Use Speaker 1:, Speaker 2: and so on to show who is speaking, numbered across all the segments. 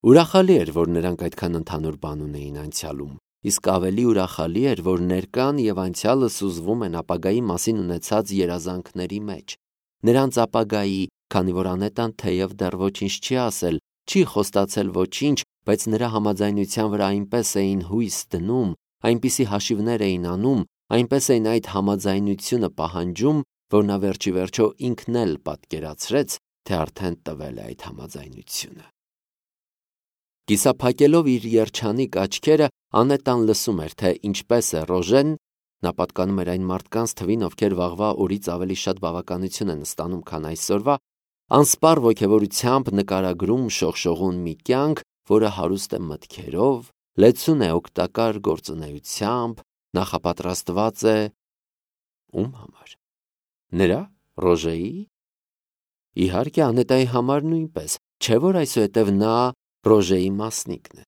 Speaker 1: Ուրախալի էր, որ նրանք այդքան ընդհանուր բան ունեին անցյալում, իսկ ավելի ուրախալի էր, որ ներկան և անցյալը սուզվում են ապագայի մասին ունեցած երազանքների մեջ։ Նրանց ապագայի, քանի որ Անետան թեև դեռ ոչինչ չի ասել, չի խոստացել ոչինչ, բայց նրա համաձայնության վրա այնպես էին հույս դնում, այնպիսի հաշիվներ էին անում, այնպես էին այդ համաձայնությունը պահանջում, որ նա վերջիվերջո ինքն էլ պատկերացրեց, թե արդեն տվել է այդ համաձայնությունը։ Կիսափակելով իր երջանիկ աչքերը, Անետան լսում էր, թե ինչպես է Ռոժեն, նա պատկանում էր այն մարդկանց թվին, ովքեր վաղվա օրից ավելի շատ բավականություն են ստանում, քան այսօրվա, անսպառ ոգևորությամբ նկարագրում շողշողուն մի կյանք, որը հարուստ է մտքերով, լեցուն է օգտակար գործունեությամբ, նախապատրաստված է ում համար։ Նրա, Ռոժեի։ Իհարկե, Անետայի համար նույնպես, չէ՞ որ այսուհետև նա Ռոժեի մասնիկն է։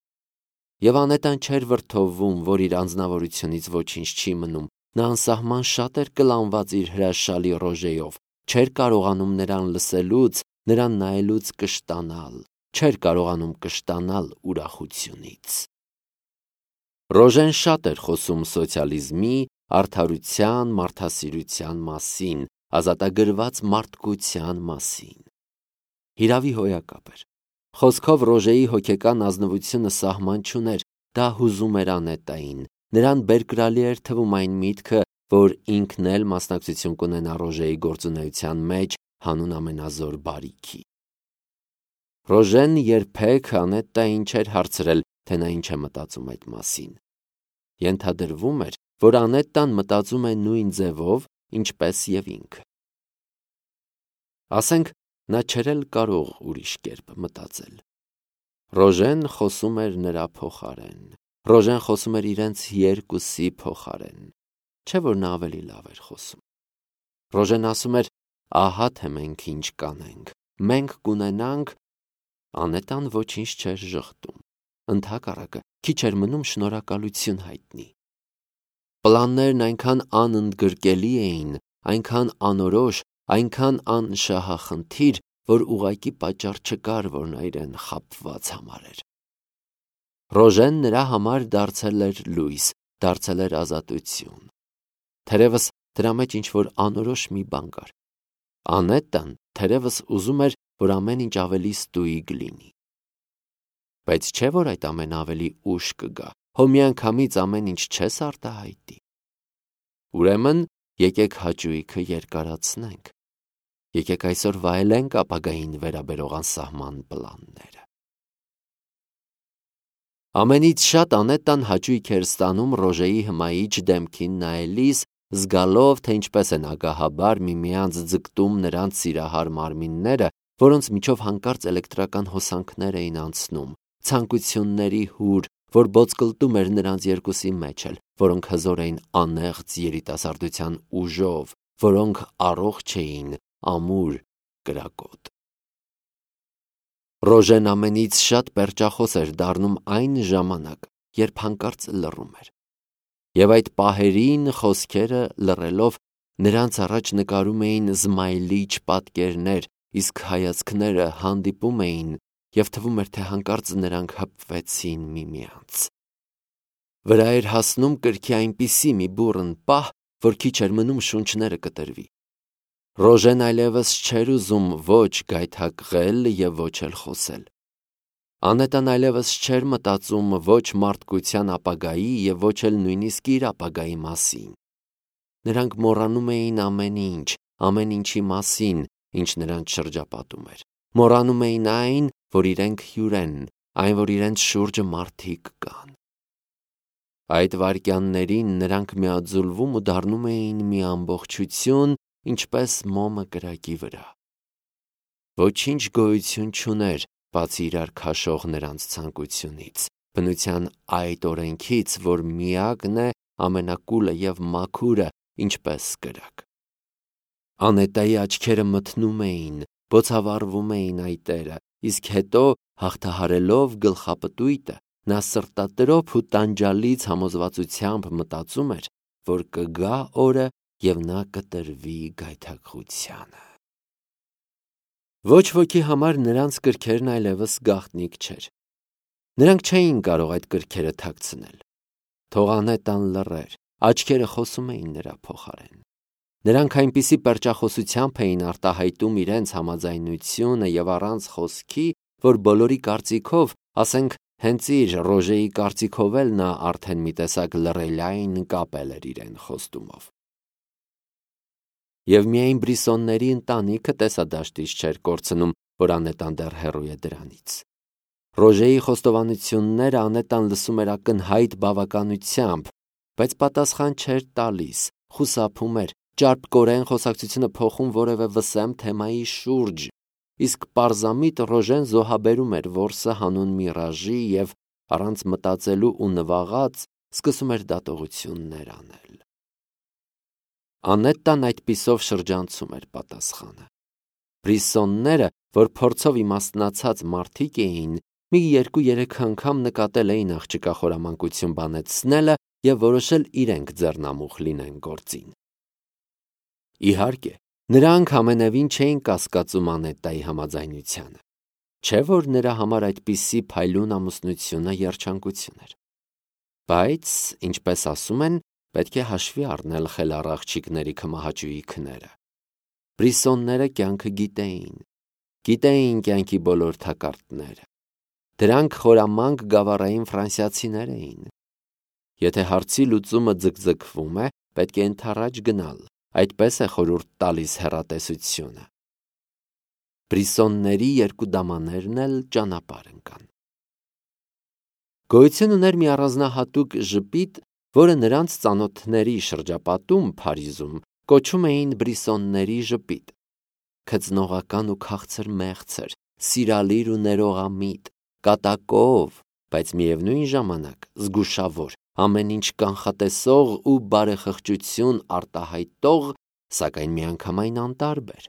Speaker 1: Եվ Անետան չէր վրդովվում, որ իր անձնավորությունից ոչինչ չի մնում, նա անսահման շատ էր կլանված իր հրաշալի Ռոժեյով, չէր կարողանում նրան լսելուց, նրան նայելուց կշտանալ, չէր կարողանում կշտանալ ուրախությունից։ Ռոժեն շատ էր խոսում սոցիալիզմի, արդարության, մարդասիրության մասին, ազատագրված մարդկության մասին։ Հիրավի հոյակապ էր։ Խոսքով Ռոժեի հոգեկան ազնվությունը սահման չուներ, դա հուզում էր Անետային, նրան բերկրալի էր թվում այն միտքը, որ ինքն էլ մասնակցություն կունենա Ռոժեի գործունեության մեջ հանուն ամենազոր բարիքի։ Ռոժեն երբեք Անետային չէր հարցրել, թե նա ինչ է մտածում այդ մասին։ Ենթադրվում էր, որ Անետան մտածում է նույն ձևով, ինչպես և ինքը։ Ասենք, նա չէր էլ կարող ուրիշ կերպ մտածել։ Ռոժեն խոսում էր նրա փոխարեն։ Ռոժեն խոսում էր իրենց երկուսի փոխարեն։ Չէ՞ որ նա ավելի լավ էր խոսում։ Ռոժեն ասում էր. «Ահա թե մենք ինչ կանենք։ Մենք կունենանք…» Անետան ոչինչ չէր ժխտում։ Ընդհակառակը, քիչ էր մնում շնորհակալություն հայտնի։ Պլաններն այնքան անընդգրկելի էին, այնքան անորոշ, այնքան անշահախնդիր, որ ուղղակի պատճառ չկար, որ նա իրեն խաբված համարեր։ Ռոժեն նրա համար դարձել էր լույս, դարձել էր ազատություն։ Թերևս դրա մեջ ինչ-որ անորոշ մի բան կար։ Անետան թերևս ուզում էր, որ ամեն ինչ ավելի ստույգ լինի։ Բայց չէ՞ որ այդ ամենը ավելի ուշ կգա, հո միանգամից ամեն ինչ չես արտահայտի։ Ուրեմն եկեք հաճույքը երկարացնենք։ Եկեք այսօր վայելենք ապագային վերաբերող անսահման պլանները։ Ամենից շատ Անետան հաճույք էր ստանում Ռոժեի հմայիչ դեմքին նայելիս, զգալով, թե ինչպես են ագահաբար միմյանց ձգտում նրանց սիրահար մարմինները, որոնց միջով հանկարծ էլեկտրական հոսանքներ էին անցնում, ցանկությունների հուր, որ բոցկլտում էր նրանց երկուսի մեջ էլ, որոնք հզոր էին անեղծ երիտասարդության ուժով, որոնք առողջ էին, ամուր, կրակոտ։ Ռոժեն ամենից շատ պերճախոս էր դառնում այն ժամանակ, երբ հանկարծ լռում էր։ Եվ այդ պահերին խոսքերը լռելով նրանց առաջ նկարում էին զմայլիչ պատկերներ, իսկ հայացքները հանդիպում էին, և թվում էր, թե հանկարծ նրանք հպվեցին միմյանց։ Վրա էր հասնում կրքի այնպիսի մի բուռն պահ, որ քիչ էր մնում շունչները կտրվի։ Ռոժեն այլևս չէր ուզում ոչ գայթակղել և ոչ էլ խոսել։ Անետան այլևս չէր մտածում ոչ մարդկության ապագայի և ոչ էլ նույնիսկ իր ապագայի մասին։ Նրանք մոռանում էին ամեն ինչի մասին, ինչ նրանց շրջապատում էր։ Մոռանում էին այն, որ իրենք հյուր են, այն, որ իրենց շուրջը մարդիկ կան։ Այդ վայրկյաններին նրանք միաձուլվում ու դառնում էին մի ամբողջություն, ինչպես մոմը կրակի վրա։ Ոչինչ գոյություն չուներ, բացի իրար քաշող նրանց ցանկությունից, բնության այդ օրենքից, որ միակն է, ամենակուլը և մաքուրը, ինչպես կրակ։ Անետայի աչքերը մթնում էին, բոցավառվում էին այտերը, իսկ հետո, հաղթահարելով գլխապտույտը, նա սրտատրոփ ու տանջալից համոզվածությամբ մտածում էր, որ կգա օրը, և նա կտրվի գայթակղությանը։ Ոչ ոքի համար նրանց կրքերն այլևս գաղտնիք չէր։ Նրանք չէին կարող այդ կրքերը թաքցնել։ Թող Անետան լռեր, աչքերը խոսում էին նրա փոխարեն։ Նրանք այնպիսի պերճախոսությամբ էին արտահայտում իրենց համաձայնությունը եւ առանց խոսքի, որ բոլորի կարծիքով, ասենք հենց իր Ռոժեի կարծիքով էլ նա արդեն մի տեսակ լռելային կապել էր իրեն խոստումով։ Եվ միայն Բրիսոնների ընտանիքը տեսադաշտից չէր կորցնում, որ Անետան դեռ հեռու է դրանից։ Ռոժեի խոստովանությունները Անետան լսում էր ակնհայտ բավականությամբ, բայց պատասխան չէր տալիս, խուսափում էր, ճարպկորեն խոսակցությունը փոխում որևէ վսեմ թեմայի շուրջ, իսկ պարզամիտ Ռոժեն զոհաբերում էր որսը հանուն Միրաժի և առանց մտածելու ու նվաղած սկսում էր դատողություններ անել։ Անետան այդպիսով շրջանցում էր պատասխանը։ Բրիսոնները, որ փորձով իմաստնացած մարդիկ էին, մի 2-3 անգամ նկատել էին աղջկա խորամանկություն բանեցնելը և որոշել իրենք ձեռնամուխ լինեն գործին։ Իհարկե, նրանք ամենևին չէին կասկածում Անետայի համաձայնությանը, չէ՞ որ նրա համար այդպիսի փայլուն ամուսնությունը երջանկություն էր։ Բայց, ինչպես ասում են, պետք է հաշվի առնել խելառ աղջիկների քմահաճույի քները։ Բրիսոնները կյանքը գիտեին կյանքի բոլոր թակարդները։ Դրանք խորամանկ գավառային ֆրանսիացիներ էին։ Եթե հարցի լուծումը ձգձգվում է, պետք է ընդառաջ գնալ, այդպես է խորհուրդ տալիս հեռատեսությունը։ Բրիսոնների երկու դամաներն էլ ճանապարհ ընկան։ Գոյություն ուներ մի առանձնահատուկ ժպիտ, որը նրանց ծանոթների շրջապատում Փարիզում կոչում էին Բրիսոնների ժպիտ։ Քծնողական ու քաղցր մեղցր, սիրալիր ու ներողամիտ, կատակով, բայց միևնույն ժամանակ զգուշավոր, ամեն ինչ կանխատեսող ու բարեխղճություն արտահայտող, սակայն միանգամայն անտարբեր։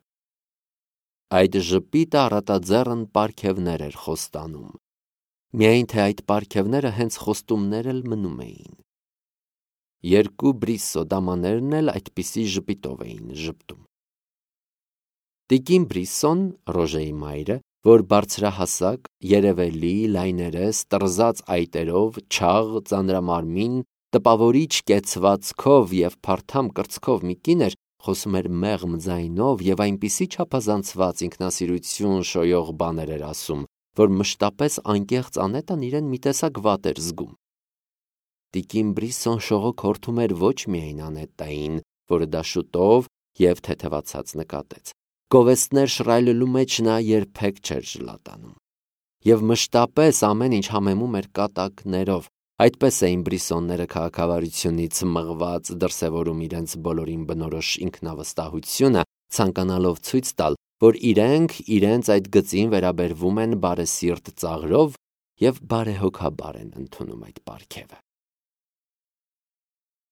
Speaker 1: Այդ ժպիտը առատաձեռն պարգևներ էր խոստանում, միայն թե այդ պարգևները հենց խոստումներ էլ մնում էին։ Երկու Բրիսո դամաներն էլ այդպիսի ժպիտով էին ժպտում։ Տիկին Բրիսոն, Ռոժեի մայրը, որ բարձրահասակ, երևելի, լայներես, տրզած այտերով, չաղ, ծանրամարմին, տպավորիչ կեցվածքով և փարթամ կրծքով մի կին էր, խոսում էր մեղմ ձայնով և այնպիսի չափազանցված ինքնասիրություն շոյող բաներ էր ասում, որ մշտապես անկեղծ Անետան իրեն մի տեսակ վատ էր զգում։ Տիկին Բրիսոն շողոքորթում էր ոչ միայն Անետային, որը դա շուտով և թեթևացած նկատեց։ Գովեստներ շռայլելու մեջ նա երբեք չէր ժլատանում։ Եվ մշտապես ամեն ինչ համեմում էր կատակներով, այդպես էին Բրիսոնները քաղաքավարությունից մղված դրսևորում իրենց բոլորին բնորոշ ինքնավստահությունը, ցանկանալով ցույց տալ, որ իրենք իրենց այդ գծին վերաբերվում են բարեսիրտ ծաղրով և բարեհոգաբար են ընդունում այդ պարգևը։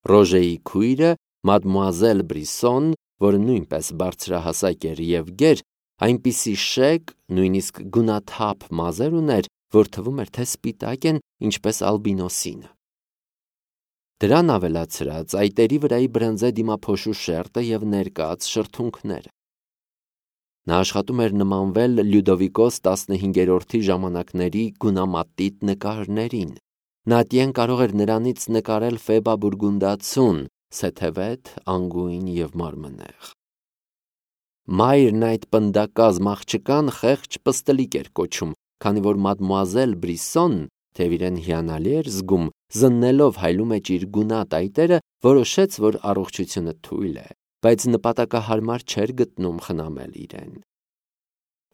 Speaker 1: Ռոժեի քույրը, մադմուազել Բրիսոն, որը նույնպես բարձրահասակ էր և գեր, այնպիսի շեկ, նույնիսկ գունաթափ մազեր ուներ, որ թվում էր, թե սպիտակ են, ինչպես ալբինոսինը։ Դրան ավելացրած այտերի վրայի բրնձե դիմափոշու շերտը և ներկած շրթունքները։ Նա աշխատում էր նմանվել Լյուդովիկոս 15-րդի ժամանակների գունամատիտ նկարներին։ Նատյեն կարող էր նրանից նկարել Ֆեբա Բուրգունդացուն, սեթևետ, անգույն և մարմնեղ։ Մայրն այդ պնդակազմ աղջկան խեղճ պստլիկ էր կոչում, քանի որ մադմուազել Բրիսոն, թեև իրեն հիանալի էր զգում, զննելով հայլու մեջ իր գունատ այտերը, որոշեց, որ առողջությունը թույլ է, բայց նպատակահարմար չէր գտնում խնամել իրեն։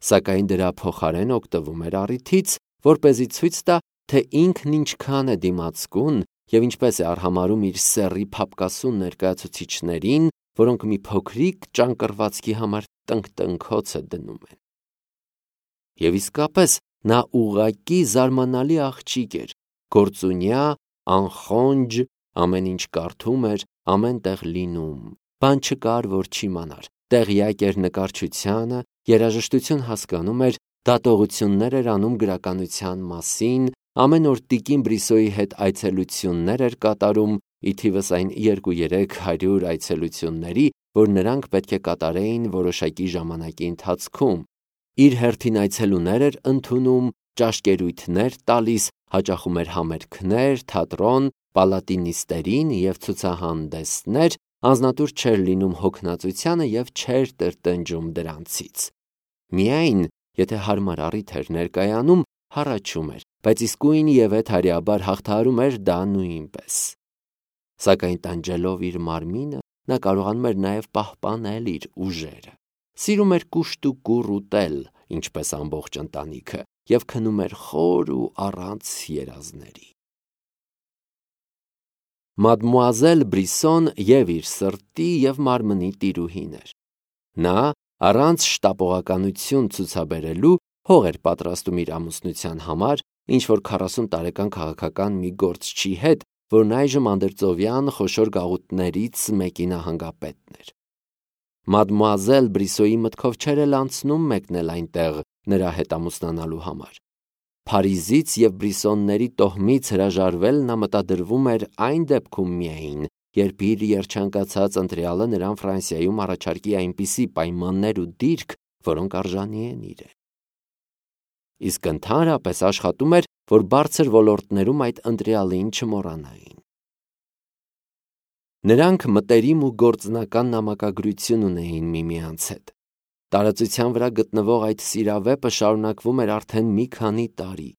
Speaker 1: Սակայն դրա փոխարեն օգտվում էր առիթից, որպեսզի ցույց տա, թե ինքն ինչքան է դիմացկուն և ինչպես է արհամարհում իր սեռի փափկասուն ներկայացուցիչներին, որոնք մի փոքրիկ ճանկռվածքի համար տնկտնքոցը դնում են։ Եվ իսկապես նա ուղղակի զարմանալի աղջիկ էր, գործունյա, անխոնջ, ամեն ինչ կարդում էր, ամեն տեղ լինում, բան չկար, որ չիմանար, տեղյակ էր նկարչությանը, երաժշտություն հասկանում էր, դատողություններ էր անում գրականության մասին, ամեն օր տիկին Բրիսոյի հետ այցելություններ էր կատարում, ի թիվս այն 200-300 այցելությունների, որ նրանք պետք է կատարեին որոշակի ժամանակի ընթացքում։ Իր հերթին այցելուներ էր ընդունում, ճաշկերույթներ տալիս, հաճախում էր համերգներ, թատրոն, պալատինիստերին և ցուցահանդեսներ, անձնատուր չէր լինում հոգնածությանը և չէր տրտնջում դրանցից։ Միայն, եթե հարմար առիթ էր ներկայանում, հառաչում էր, բայց իսկույն և հարյաբար հաղթահարում էր դա նույնպես։ Սակայն տանջելով իր մարմինը, նա կարողանում էր նաև պահպանել իր ուժերը։ Սիրում էր կուշտ ու կուռ ուտել, ինչպես ամբողջ ընտանիքը, և քնում էր խոր ու առանց երազների։ Մադմուազել Բրիսոն և իր սրտի և մարմնի տիրուհին էր։ Նա, առանց շտապողականություն ցուցաբերելու, հող էր պատրաստում իր ամուսնության համար, ինչ-որ 40 տարեկան քաղաքական մի գործչի հետ, որն այժմ անդրծովյան խոշոր գաղութներից մեկի նահանգապետն էր։ Մադմուազել Բրիսոյի մտքով չէր էլ անցնում մեկնել այնտեղ նրա հետ ամուսնանալու համար։ Փարիզից և Բրիսոնների տոհմից հրաժարվել նա մտադրվում էր այն դեպքում միայն, երբ իր երջանկացած ընտրյալը նրան Ֆրանսիայում առաջարկի այնպիսի պայմաններ ու դիրք, որոնք արժանի են իրեն։ Իսկ ընդհանրապես աշխատում էր, որ բարձր ոլորտներում այդ ընտրյալին չմոռանային։ Նրանք մտերիմ ու գործնական նամակագրություն ունեին միմյանց հետ։ Տարածության վրա գտնվող այդ սիրավեպը շարունակվում էր արդեն մի քանի տարի։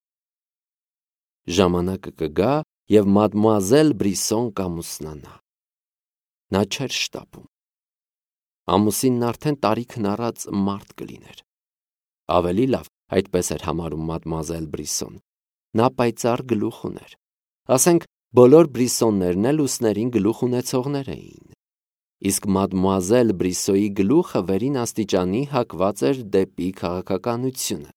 Speaker 1: Ժամանակը կգա, և մադմուազել Բրիսոն կամուսնանա։ Նա չէր շտապում։ Ամուսինն արդեն տարիքն առած մարդ կլիներ։ Ավելի լավ, այդպես էր համարում մադմուազել Բրիսոն։ Նա պայծառ գլուխ ուներ։ Ասենք, բոլոր Բրիսոններն էլ ուսներին գլուխ ունեցողներ էին։ Իսկ մադմուազել Բրիսոյի գլուխը վերին աստիճանի հակված էր դեպի քաղաքականությունը։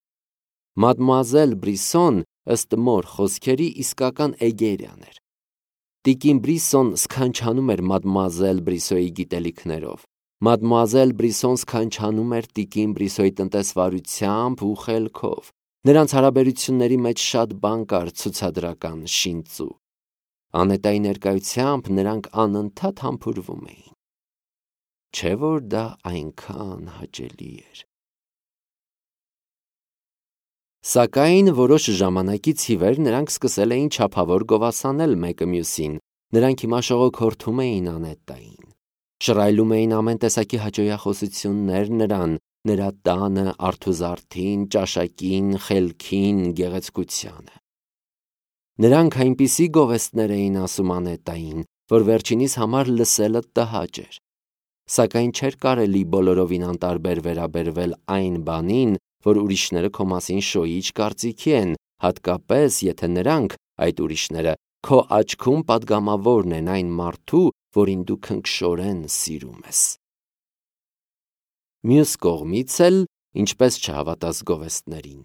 Speaker 1: Մադմուազել Բրիսոն, ըստ մոր խոսքերի, իսկական էգերյան էր։ Տիկին Բրիսոն սքանչանում էր մադմուազել Բրիսոյի գիտելիքներով։ Մադմուազել Բրիսոն սքանչանում էր տիկին Բրիսոյի տնտեսվարությամբ ու խելքով։ Նրանց հարաբերությունների մեջ շատ բան կար ցուցադրական, շինծու։ Անետայի ներկայությամբ նրանք անընդհատ համբուրվում էին։ Չէ՞ որ դա այնքան հաճելի էր։ Սակայն որոշ ժամանակից ի վեր նրանք սկսել էին չափավոր գովասանել մեկը մյուսին։ Նրանք հիմա շողոքորթում էին Անետային։ Շռայլում էին ամեն տեսակի հաճոյախոսություններ նրան, նրա տանը, արթուզարդին, ճաշակին, խելքին, գեղեցկությանը։ Նրանք այնպիսի գովեստներ էին ասում Անետային, որ վերջինիս համար լսելը տհաճ էր։ Սակայն չէր կարելի բոլորովին անտարբեր վերաբերվել այն բանին, որ ուրիշները քո մասին շոյիչ կարծիքի են, հատկապես, եթե նրանք, այդ ուրիշները, քո աչքում պատգամավորն են այն մարդու, որին դու քնքշորեն սիրում ես։ Մյուս կողմից էլ, ինչպես չհավատաս գովեստներին։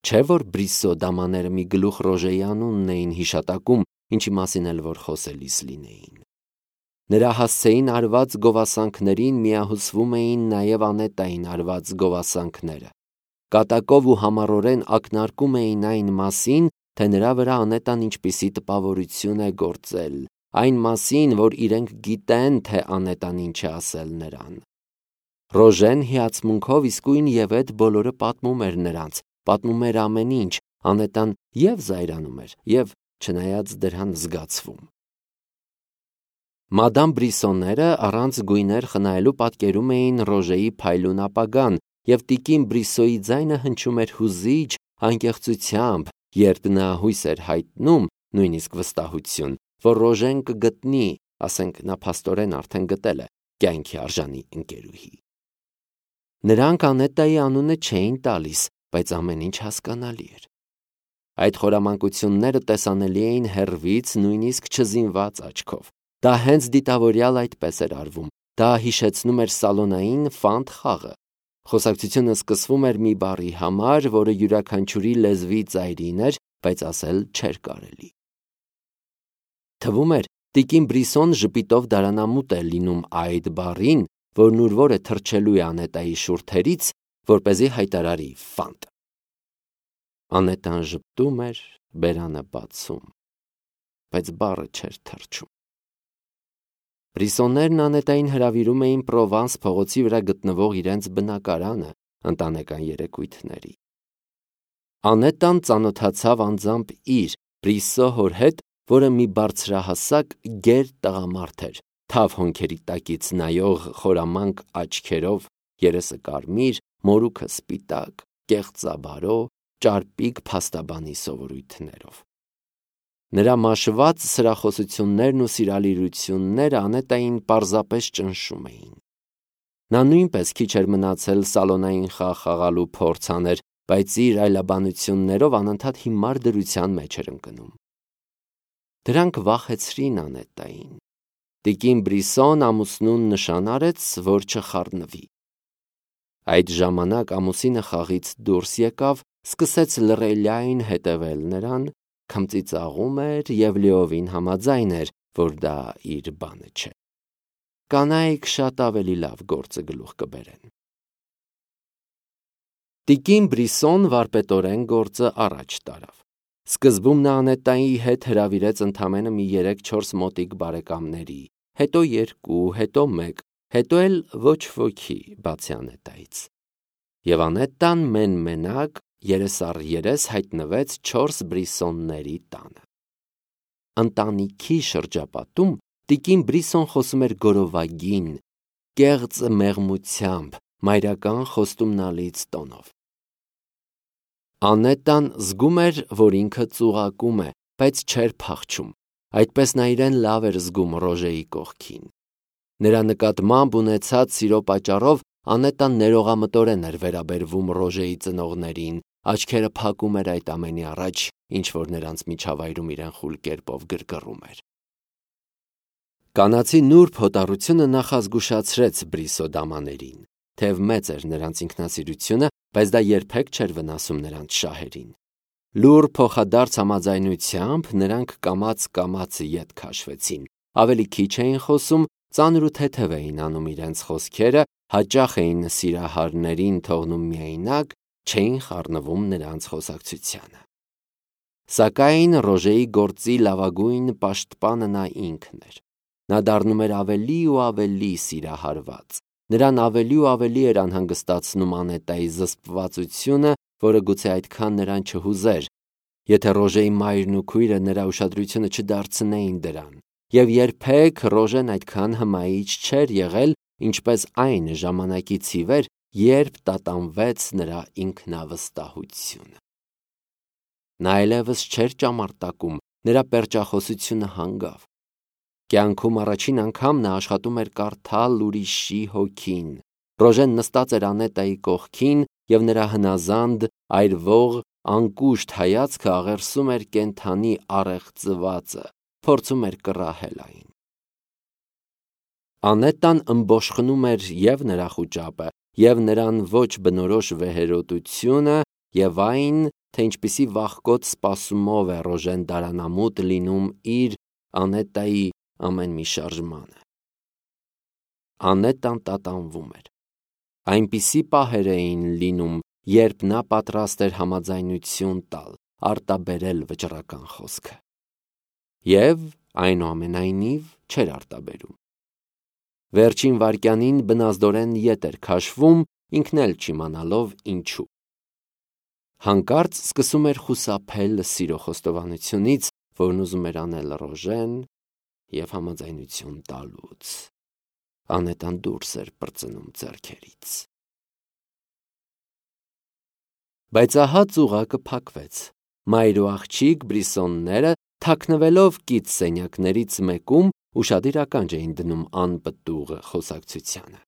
Speaker 1: Չէ՞ որ Բրիսո դամաները մի գլուխ Ռոժեի անունն էին հիշատակում, ինչի մասին էլ որ խոսելիս լինեին։ Նրա հասցեին արված գովասանքներին միահուսվում էին նաև Անետային արված գովասանքները։ Կատակով ու համառորեն ակնարկում էին այն մասին, թե նրա վրա Անետան ինչպիսի տպավորություն է գործել, այն մասին, որ իրենք գիտեն, թե Անետան ինչ է ասել նրան։ Ռոժեն հիացմունքով իսկույն և այդ բոլորը պատմում էր նրանց, պատմում էր ամեն ինչ, Անետան և զայրանում էր, և չնայած դրան զգացվում։ Մադամ Բրիսոները առանց գույներ խնայելու պատկերում էին Ռոժեի փայլուն ապագան, և տիկին Բրիսոյի ձայնը հնչում էր հուզիչ անկեղծությամբ, երբ նա հույս էր հայտնում, նույնիսկ վստահություն, որ Ռոժեն կգտնի, ասենք նա փաստորեն արդեն գտել է, կյանքի արժանի ընկերուհի։ Նրանք Անետայի անունը չէին տալիս, բայց ամեն ինչ հասկանալի էր։ Այդ խորամանկությունները տեսանելի էին հեռվից, նույնիսկ չզինված աչքով։ Դա հենց դիտավորյալ այդպես էր արվում։ Դա հիշեցնում էր սալոնային ֆանտ խաղը։ Խոսակցությունը սկսվում էր մի բառի համար, որը յուրաքանչյուրի լեզվի ծայրին էր, բայց ասել չէր կարելի։ Թվում էր, տիկին Բրիսոն ժպիտով դարանամուտ է լինում այդ բառին, որն ուր որ է թռչելու է Անետայի շուրթերից, որպեսզի հայտարարի ֆանտ։ Անետան ժպտում էր, բերանը բացում, բայց բառը չէր թռչում։ Բրիսոններն Անետային հրավիրում էին Պրովանս փողոցի վրա գտնվող իրենց բնակարանը ընտանեկան երեկույթների։ Անետան ծանոթացավ անձամբ իր Բրիսո հոր հետ, որը մի բարձրահասակ գեր տղամարդ էր, թավ հոնքերի տակից նայող խորամանկ աչքերով, երեսը կարմիր, մորուքը սպիտակ, կեղծաբարո, ճարպիկ փաստաբանի սովորույթներով։ Նրա մաշված սրախոսություններն ու սիրալիրությունները Անետային պարզապես ճնշում էին։ Նա նույնպես քիչ էր մնացել սալոնային խաղ խաղալու փորձ աներ, բայց իր այլաբանություններով անընդհատ հիմար դրության մեջ էր ընկնում։ Դրանք վախեցրին Անետային։ Տիկին Բրիսոն ամուսնուն նշան արեց, որ չխառնվի։ Այդ ժամանակ ամուսինը խաղից դուրս եկավ, սկսեց լռելիայն հետևել նրան, քմծիծաղում էր և լիովին համաձայն էր, որ դա իր բանը չէ։ Կանայք շատ ավելի լավ գործը գլուխ կբերեն։ Տիկին Բրիսոն վարպետորեն գործը առաջ տարավ։ Սկզբում նա Անետայի հետ հրավիրեց ընդամենը մի 3-4 մոտիկ բարեկամների, հետո 2, հետո 1, հետո էլ ոչ ոքի, բացի Անետայից։ Եվ Անետան մեն-մենակ երես առ երես հայտնվեց 4 Բրիսոնների տանը։ Ընտանիքի շրջապատում տիկին Բրիսոն խոսում էր գորովագին, կեղծ մեղմությամբ, մայրական խոստումնալից տոնով։ Անետան զգում էր, որ ինքը ծուղակում է, բայց չէր փախչում, այդպես նա իրեն լավ էր զգում Ռոժեի կողքին։ Նրա նկատմամբ ունեցած սիրո պատճառով Անետան ներողամտորեն էր վերաբերվում Ռոժեի ծնողներին, աչքերը փակում էր այդ ամենի առաջ, ինչ որ նրանց միջավայրում իրեն խուլ կերպով գրգռում էր։ Կանացի նուրբ հոտառությունը նախազգուշացրեց Բրիսո դամաներին, թեև մեծ էր նրանց ինքնասիրությունը, բայց դա երբեք չէր վնասում նրանց շահերին։ Լուռ փոխադարձ համաձայնությամբ նրանք կամաց ետ քաշվեցին, ավելի քիչ էին խոսում, ծանր ու թեթև էին անում իրենց խոսքերը, հաճախ էին սիրահարներին թողնում միայնակ, չէին խառնվում նրանց խոսակցությանը։ Սակայն Ռոժեի գործի լավագույն պաշտպանը նա ինքն էր։ Նա դառնում էր ավելի ու ավելի սիրահարված։ Նրան ավելի ու ավելի էր անհանգստացնում Անետայի զսպվածությունը, որը գուցե այդքան նրան չհուզեր, եթե Ռոժեի մայրն ու քույրը նրա ուշադրությունը չդարձնեին դրան, և երբեք Ռոժեն այդքան հմայիչ չէր եղել, ինչպես այն ժամանակից ի վեր, երբ տատանվեց նրա ինքնավստահությունը։ Նա այլևս չէր ճամարտակում, նրա պերճախոսությունը հանգավ։ Կյանքում առաջին անգամ նա աշխատում էր կարդալ ուրիշի հոգին։ Ռոժեն նստած էր Անետայի կողքին և նրա հնազանդ, այրվող, անկուշտ հայացքը աղերսում էր կենդանի առեղծվածը, փորձում էր կռահել այն։ Անետան ըմբոշխնում էր և նրա խուճապը, և նրան ոչ բնորոշ վեհերոտությունը, և այն, թե ինչպիսի վախկոտ սպասումով է Ռոժեն դարանամուտ լինում իր Անետայի ամեն մի շարժմանը։ Անետան տատանվում էր։ Այնպիսի պահեր էին լինում, երբ նա պատրաստ էր համաձայնություն տալ, արտաբերել վճռական խոսքը։ Եվ, այնուամենայնիվ, չէր արտաբերում։ Վերջին վայրկյանին բնազդորեն ետ էր քաշվում, ինքն էլ չիմանալով ինչու։ Հանկարծ սկսում էր խուսափել սիրո խոստովանությունից, որն ուզում էր անել Ռոժեն, և համաձայնություն տալուց։ Անետան դուրս էր պրծնում ձեռքերից։ Բայց ահա ծուղակը փակվեց։ Մայր ու աղջիկ Բրիսոնները, թաքնվելով կից սենյակներից մեկում, ուշադիր ականջ էին դնում անպտուղ խոսակցությանը։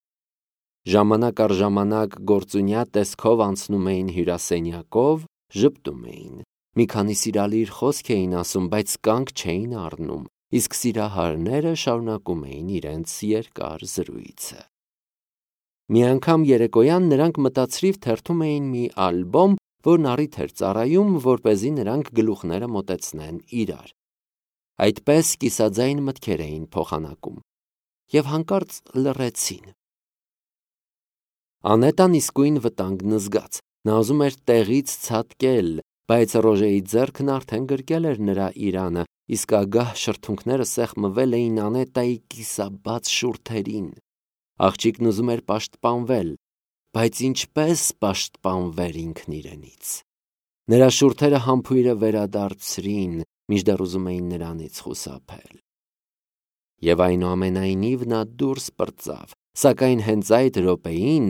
Speaker 1: Ժամանակ առ ժամանակ գործունյա տեսքով անցնում էին հյուրասենյակով, ժպտում էին։ Մի քանի սիրալիր խոսք էին ասում, բայց կանգ չէին առնում, իսկ սիրահարները շարունակում էին իրենց երկար զրույցը։ Մի անգամ երեկոյան նրանք մտածրիվ թերթում էին մի ալբոմ, որն առիթ էր ծառայում, որպեսզի նրանք գլուխները մոտեցնեն իրար։ Այդպես կիսաձայն մտքեր էին փոխանակում, և հանկարծ լռեցին։ Անետան իսկույն վտանգն զգաց, նա ուզում էր տեղից ցատկել, բայց Ռոժեի ձեռքն արդեն գրկել էր նրա իրանը, իսկ ագահ շրթունքները սեղմվել էին Անետայի կիսաբաց շուրթերին։ Աղջիկն ուզում էր պաշտպանվել, բայց ինչպես պաշտպանվեր ինքն իրենից։ Նրա շուրթերը համբույրը վերադարձրին, մինչդեռ ուզում էին նրանից խուսափել։ Եվ այնուամենայնիվ նա դուրս պրծավ, սակայն հենց այդ րոպեին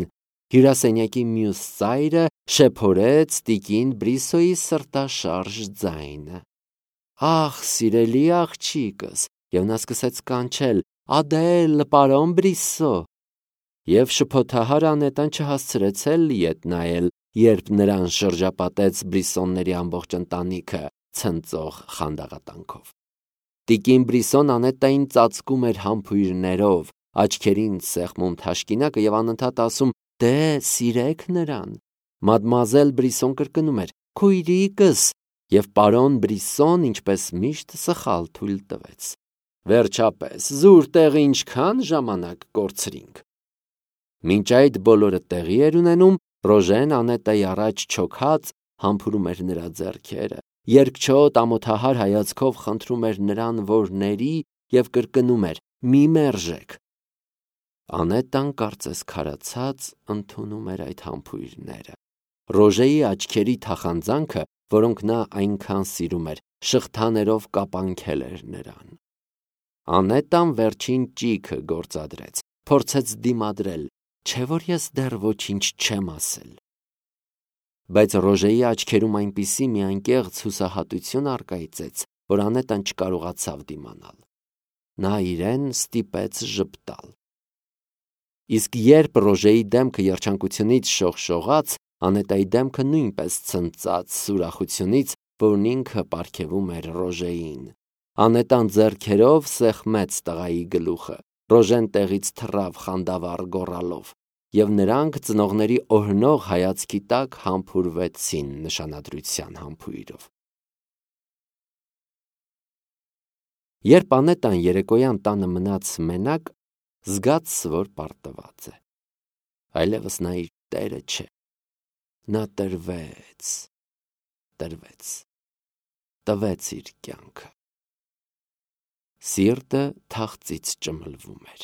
Speaker 1: հյուրասենյակի մյուս ծայրը շեփորեց տիկին Բրիսոյի սրտաշարժ ձայնը. «Ախ, սիրելի աղջիկս», և նա սկսեց կանչել. «Ադել, պարոն Բրիսո», և շփոթահար Անետան չհասցրեց էլ ետ նայել, երբ նրան շրջապատեց Բրիսոնների ամբողջ ընտանիքը ցնծող խանդաղատանքով։ Տիկին Բրիսոն Անետային ծածկում էր համբույրներով, աչքերին սեղմում թաշկինակը և անընդհատ ասում. «Դե, սիրեք նրան»։ Մադմուազել Բրիսոն կրկնում էր. «Քույրիկս», և պարոն Բրիսոն, ինչպես միշտ, սխալ թույլ տվեց։ Վերջապես, զուր տեղը ինչքան ժամանակ կորցրինք։ Մինչ այդ բոլորը տեղի էր ունենում, Ռոժեն Անետայի առաջ չոքած համբուրում էր նրա ձեռքերը, երկչոտ ամոթահար հայացքով խնդրում էր նրան, որ ների, և կրկնում էր. «Մի մերժեք»։ Անետան կարծես քարացած ընդունում էր այդ համբույրները։ Ռոժեի աչքերի թախանձանքը, որոնք նա այնքան սիրում էր, շղթաներով կապանքել էր նրան։ Անետան վերջին ճիգը գործադրեց, փորձեց դիմադրել, չէ՞ որ ես դեռ ոչինչ չեմ ասել։ Բայց Ռոժեի աչքերում այնպիսի մի անկեղծ հուսահատություն առկայծեց, որ Անետան չկարողացավ դիմանալ։ Նա իրեն ստիպեց ժպտալ։ Իսկ երբ Ռոժեի դեմքը երջանկությունից շողշողաց, Անետայի դեմքը նույնպես ցնծաց ուրախությունից, որն ինքը պարգևում էր Ռոժեին։ Անետան ձեռքերով սեղմեց տղայի գլուխը, Ռոժեն տեղից թռավ խանդավառ գոռալով, և նրանք ծնողների օրհնող հայացքի տակ համբուրվեցին նշանադրության համբույրով։ Երբ Անետան երեկոյան տանը մնաց մենակ, զգաց, որ պարտված է։ Այլևս նա իր տերը չէ։ Նա տվեց իր կյանքը։ Սիրտը թախծից ճմլվում էր։